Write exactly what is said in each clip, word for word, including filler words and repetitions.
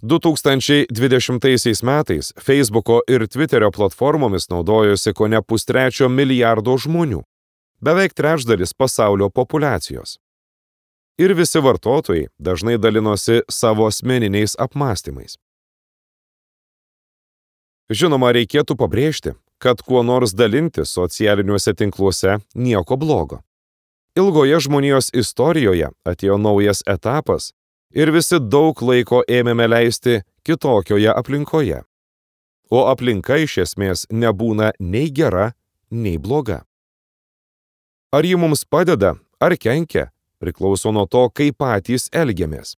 du tūkstančiai dvidešimtaisiais metais Facebooko ir Twitterio platformomis naudojosi kone pustrečio milijardo žmonių, beveik trečdalis pasaulio populiacijos. Ir visi vartotojai dažnai dalinosi savo asmeniniais apmąstymais. Žinoma, reikėtų pabrėžti, kad kuo nors dalinti socialiniuose tinkluose nieko blogo. Ilgoje žmonijos istorijoje atėjo naujas etapas ir visi daug laiko ėmėme leisti kitokioje aplinkoje. O aplinka iš esmės nebūna nei gera, nei bloga. Ar ji mums padeda, ar kenkia, priklauso nuo to, kaip patys elgiamės.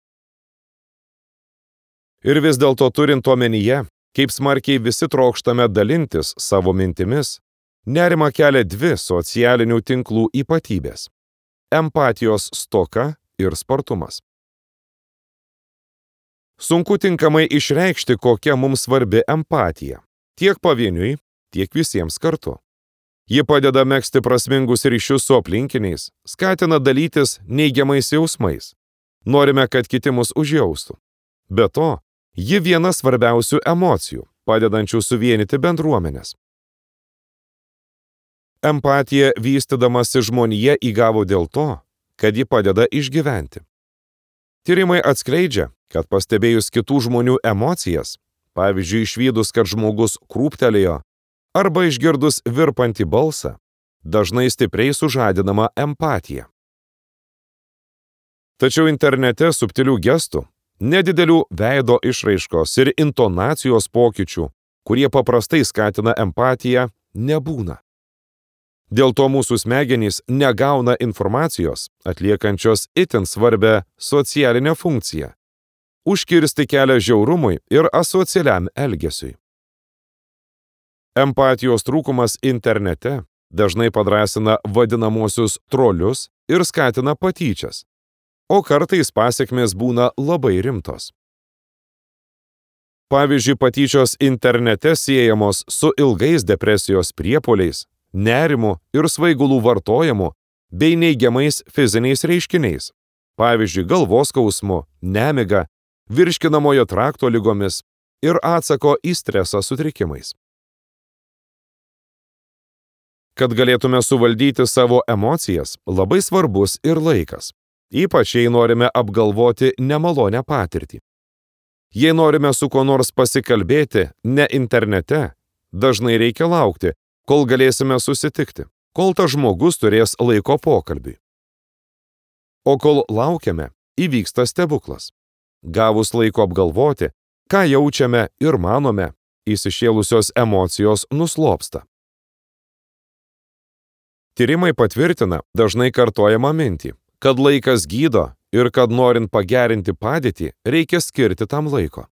Ir vis dėlto turint omenyje, kaip smarkiai visi trokštame dalintis savo mintimis, nerimą kelia dvi socialinių tinklų ypatybės – empatijos stoka ir spartumas. Sunku tinkamai išreikšti, kokia mums svarbi empatija, tiek pavieniui, tiek visiems kartu. Ji padeda megzti prasmingus ryšius su aplinkiniais, skatina dalytis neigiamais jausmais. Norime, kad kiti mus užjaustų. Be to, ji viena svarbiausių emocijų, padedančių suvienyti bendruomenės. Empatija vystydamasi žmonija įgavo dėl to, kad ji padeda išgyventi. Tyrimai atskleidžia, kad pastebėjus kitų žmonių emocijas, pavyzdžiui, išvydus, kad žmogus krūptelėjo, arba išgirdus virpantį balsą, dažnai stipriai sužadinama empatija. Tačiau internete subtilių gestų, nedidelių veido išraiškos ir intonacijos pokyčių, kurie paprastai skatina empatiją, nebūna. Dėl to mūsų smegenys negauna informacijos, atliekančios itin svarbią socialinę funkciją – užkirsti kelią žiaurumui ir asocialiam elgesiui. Empatijos trūkumas internete dažnai padrąsina vadinamosius trolius ir skatina patyčias, o kartais pasekmės būna labai rimtos. Pavyzdžiui, patyčios internete siejamos su ilgais depresijos priepuoliais, nerimu ir svaigulų vartojimu bei neigiamais fiziniais reiškiniais, pavyzdžiui, galvos skausmu, nemiga, virškinamojo trakto ligomis ir atsako į stresą sutrikimais. Kad galėtume suvaldyti savo emocijas, labai svarbus ir laikas, ypač jei norime apgalvoti nemalonę patirtį. Jei norime su kuo nors pasikalbėti ne internete, dažnai reikia laukti, kol galėsime susitikti, kol tas žmogus turės laiko pokalbiui. O kol laukiame, įvyksta stebuklas. Gavus laiko apgalvoti, ką jaučiame ir manome, įsišėlusios emocijos nuslopsta. Tyrimai patvirtina dažnai kartojamą mintį, kad laikas gydo ir kad norint pagerinti padėtį, reikia skirti tam laiko.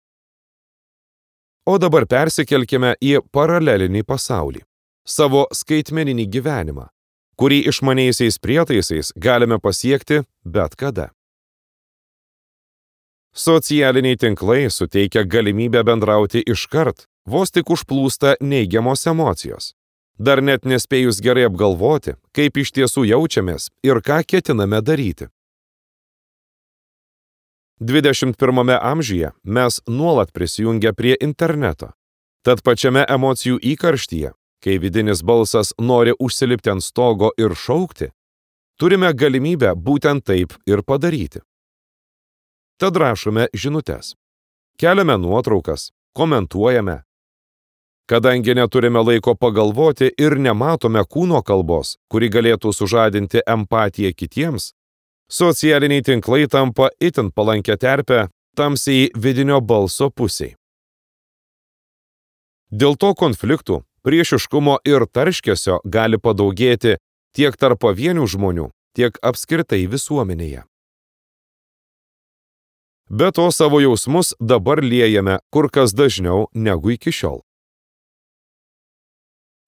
O dabar persikelkime į paralelinį pasaulį, savo skaitmeninį gyvenimą, kurį išmaniaisiais prietaisais galime pasiekti bet kada. Socialiniai tinklai suteikia galimybę bendrauti iškart, vos tik užplūsta neigiamos emocijos, dar net nespėjus gerai apgalvoti, kaip iš tiesų jaučiamės ir ką ketiname daryti. dvidešimt pirmame amžiuje mes nuolat prisijungę prie interneto, tad pačiame emocijų įkarštyje, kai vidinis balsas nori užsilipti ant stogo ir šaukti, turime galimybę būtent taip ir padaryti. Tad rašome žinutes, keliame nuotraukas, komentuojame. Kadangi neturime laiko pagalvoti ir nematome kūno kalbos, kuri galėtų sužadinti empatiją kitiems, socialiniai tinklai tampa itin palankę terpę tamsiai vidinio balso pusiai. Dėl to konfliktų, priešiškumo ir tarškesio gali padaugėti tiek tarp pavienių žmonių, tiek apskritai visuomenėje. Be to savo jausmus dabar liejame kur kas dažniau negu iki šiol.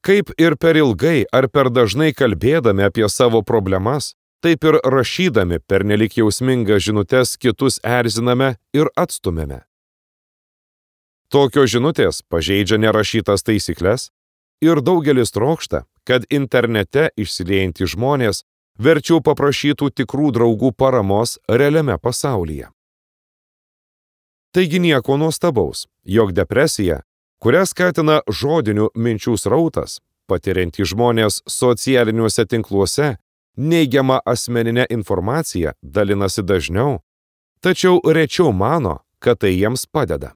Kaip ir per ilgai ar per dažnai kalbėdami apie savo problemas, taip ir rašydami pernelyg jausmingas žinutes kitus erziname ir atstumėme. Tokios žinutės pažeidžia nerašytas taisykles ir daugelis trokšta, kad internete išsiliejantys žmonės verčiau paprašytų tikrų draugų paramos realiame pasaulyje. Taigi nieko nuostabaus, jog depresija, kurią skatina žodinių minčių srautas, patiriantys žmonės socialiniuose tinkluose, neigiamą asmeninę informaciją dalinasi dažniau, tačiau rečiau mano, kad tai jiems padeda.